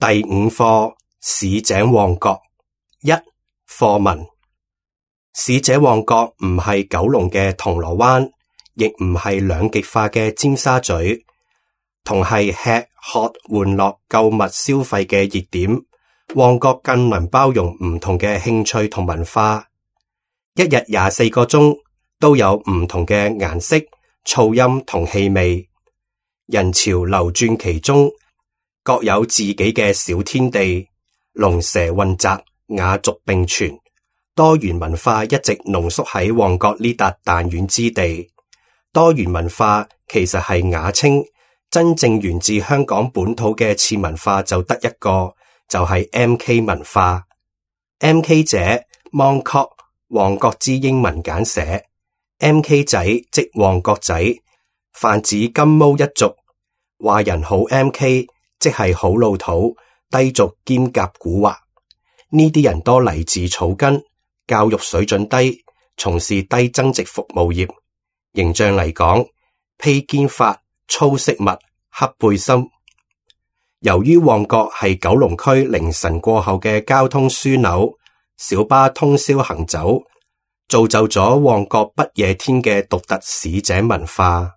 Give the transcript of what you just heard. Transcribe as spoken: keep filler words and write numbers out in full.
第五課，市井旺角。一、課文。市井旺角唔係九龍嘅銅鑼灣，亦唔係兩極化嘅尖沙咀，同係吃喝玩樂購物消費嘅熱點。旺角更能包容唔同嘅興趣同文化，一日廿四個鐘都有唔同嘅顏色、噪音同氣味，人潮流轉其中，各有自己嘅小天地，龍蛇混雜，雅俗並存，多元文化一直濃縮喺旺角呢笪彈丸之地。多元文化其實係雅稱，真正源自香港本土嘅次文化就得一個，就係 M K 文化。 M K 者 Mongkok， 旺角之英文簡寫。 M K 仔即旺角仔，泛指金毛一族。話人好 M K， 即係好老土、低俗兼夾蠱惑。呢啲人多嚟自草根，教育水準低，從事低增值服務業。形象嚟講，披肩髮、粗飾襪、黑背心。由於旺角係九龍區凌晨過後嘅交通樞紐，小巴通宵行走，造就咗旺角不夜天嘅獨特市井文化。